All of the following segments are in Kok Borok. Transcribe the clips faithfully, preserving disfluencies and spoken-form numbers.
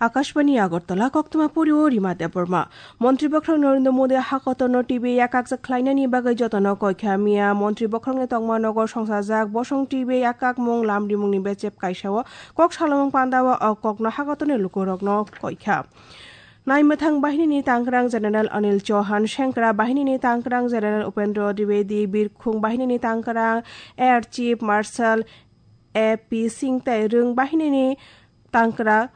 Akashbani Agartala, koktwma pori o Rima Debbarma. Montri Bokhorok Narendra Modi hakotorno T B yakakjak khlainani bagwi jotono koikha. Miya Montri Bokhorokni tongma nogo songchajak bosong T B yakakmung lamrimungni bechep kaisao kok salomung pandao o kokno hakotorni lukurokno koikha. Naimwthang bahinini tangkrang General Anil Chauhan, Sengkra bahinini tangkrang General Upendra Dwivedi, Birkhung bahinini tangkrang Air Chief Marshal A P Singh tei Rwng bahinini tangkra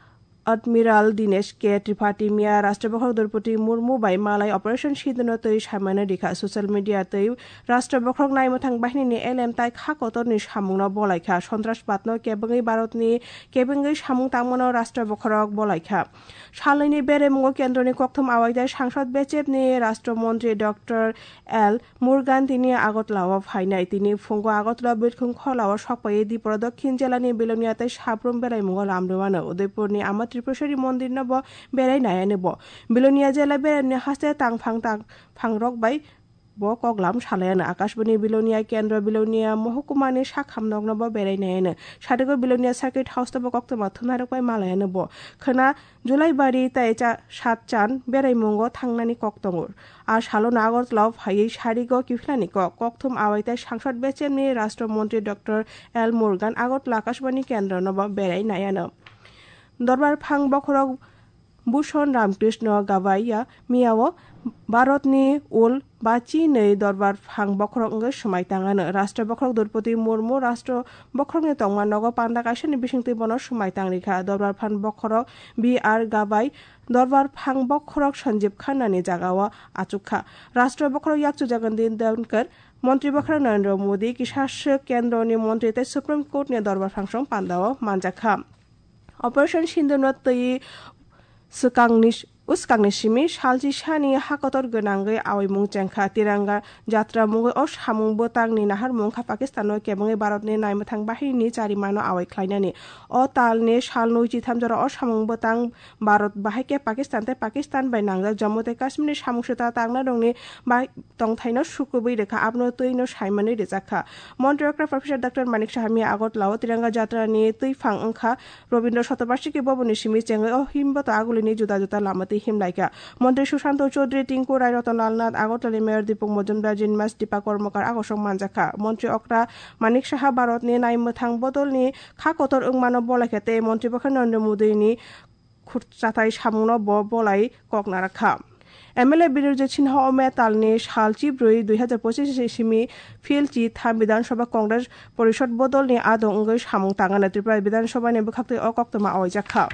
Admiral Dinesh K Tripathi miya Rashtra Bokhorok Droupadi Murmu bai malai Operation Sindoorno twi samani rikha. Social media twi Rashtra Bokhorok naimwthang bahinini elem tai kha kotorni samungno bolaikha. Sontrasbadno kebengwi Bharatni kebengwi samung tangmano Rashtra Bokhorok bolaikha. Salnwini beraimungo kendroni kokthum awai tei sangsad bechepni Rashtra Montri Doctor L Murugan tini Agartala-o phainai. Tini phungo Agartala Birkhung Khola-o sokpaiwi Dipura Dokhin jelani Bilonia tei Sabrum beraimungo lamrwmano. Udaipurni Ama Tripureshwari Mondirno bo berai naiani bo. Bilonia jela beraini haste tangphang tangphangrok bai bo koklam salaiano. Akashbani Bilonia kendro Bilonia mohukumani sakham nokno bo berai naiano. Sadigo Bilonia Circuit House-o bo koktwma thumnairok bai malaiano bo. Khwna Julaibari tei cha-, Satchan beraimungo thangnani kok tongo. A salono Agartala-o phaiwi sarigo kiphilani kok. Kokthum awai tei sangsad bechepni Rashtra Montri Doctor L Murugan Agartala Akashbani kendrono bo berai naiano. Dorbar Phang Bokhorok Bhushan Ramkrishna Gabaiya miyao Bharatni ul bachi nei Dorbar Phang Bokhorok wngwi swmai tangano. Rashtra Bokhorok Droupadi Murmu Rashtra Bokhorokni tongma nogo panda kaisani bisingtwi bono swmai tangrikha. Dorbar Phang Bokhorok B R Gabai Dorbar Phang Bokhorok Sanjeev Khanna ni jagao achukha. Rashtra Bokhorok yakchu Jagandip Dhankhar, Montri Bokhorok Narendra Modi, kisa swk kendroni montri tei Supreme Court ni Dorbar Phangsong pandao manjakha. Operation Sindoorno twi swkangni, uskangni simi salchi sani hakotor gwnangwi awaimung chengkha. Tiranga Jatra mungwi o samung bwtangni naharmung kha Pakistano kebengwi Bharatni naimwthang bahinini charimano awai khlainani. O talni salnwi chitham jora o samung bwtang Bharat bahai khe Pakistan tei Pakistan bai nangjak Jammu tei Kashmirni samung swta tangnairokni bai tongthaino sukubui rwkha, abono twino saimanwi rwjakha. Montri okra Professor Doctor Manik Saha miya Agartala-o Tiranga Jatrani twiphang wngkha. Rabindra Shatobarshiki Bhavanni simi chengwi o himboto agulini juda juda lama twi himlaikha. Montri Sushanto Chaudhary, Tinku Rai, Ratan Lal Nath, Agartalani Mayor Dipuk Majumdar, Jinmas Dipa Karmakar agosok manjakha. Montri okra Manik Saha Bharatni naimwthang bodolni kha kotor wngmano bolaikha tei Montri Bokhorok Narendra Modini khurchathai samungno bo bolai kok narakha. M L A Birujit Sinha o May talni sal chibrwi dui hazar pochis ni simi phil chi tham Bidhan Sabha Congress Porishad bodolni adong wngwi samung tangana Tripura Bidhan Sabhani bwkhaktwi o koktwma awaijakha.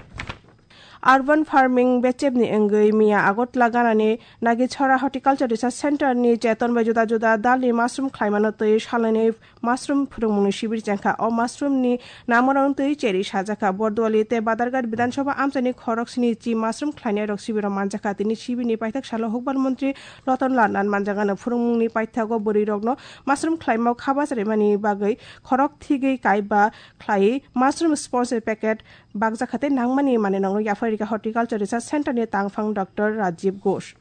Urban farming bechepni wngwi miya Agartala ganani Nagitchhara Horticulture Research Center ni cheton bai juda juda dalni mushroom khlaimano twi salnwini mushroom phwrwngmungni sibir chengkha. O mushroom ni namorong twi cheri sajakha. Borduali tei Badarghat Bidhan Sabha amchaini khorok sini chi mushroom khlainairok sibiro manjakha. Tini sibirni paithak salo hukbar montri Ratan Lal Nath manjakano. Phwrwngmungni paithago bwrwirokno mushroom khlaimao khaba charaimani bagwi khorok thigwi kaiba khlaiwi mushroom sponge packet bakjakha tei nangmani manwirokno yaphai rikha Horticulture Research Center ni tangphang Doctor Rajiv Ghosh.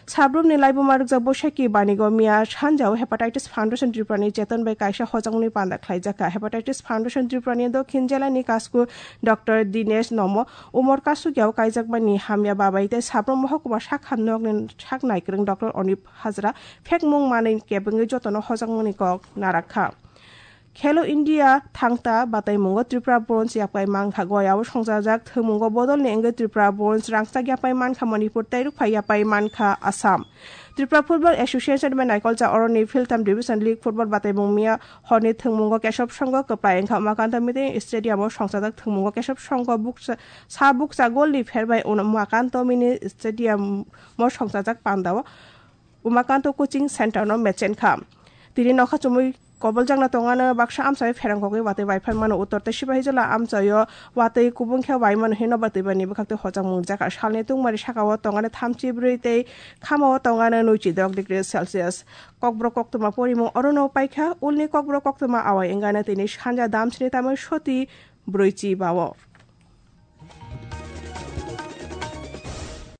Sabrumni laibuma rwkjak Boishakhi Banigo miya sanjao Hepatitis Foundation Tripura ni cheton bai kaisa hojakmungni panda khlaijakha. Hepatitis Foundation Tripura ni Dokhin Jela ni Kasku Doctor Dinesh Nomo, Umor Kasugiao kaijakmani hamya babai tei Sabrum Mohokuma Sakha Nokni sak naikwrwng Doctor Onip Hazra phekmung manwi kebengwi jotono hojakmungni kok narakha. Khelo India thangta bataimungo Tripura bronze yapai mankha. Goyao songchajak thwngmungo bodolni wngwi Tripura bronze rangchak yapai mankha Manipur tei rukphai yapai mankha Assam. Tripura Football Association bai naikolcha oroni philtham Division League football bataimung miya horni thwngmungo Kesab Songho kwplai wngkha Umakanto Mini Stadium o songchajak thwngmungo Kesab Songho bukcha, sa bukcha golni pherbai Umakanto Mini Stadium o songchajak pandao Umakanto Coaching Center no mechenkha. Tini nokha chumui koboljakna tongano baksa amchaio pherang kogwi watwi bai phan mano. Uttor tei Sipahijola amchaio watwi kubung khe bai mano hino batwi bani bwkhaktwi hojakmung rijak. Salni tungmari sakao tongano thamchi brwi tei khamao tongano nuichi dok degree Celsius. Kokborok koktwma porimung orono paikha, ulni kokborok koktwma awai wngano tini sanja damsini tamwi soti brwichi bao.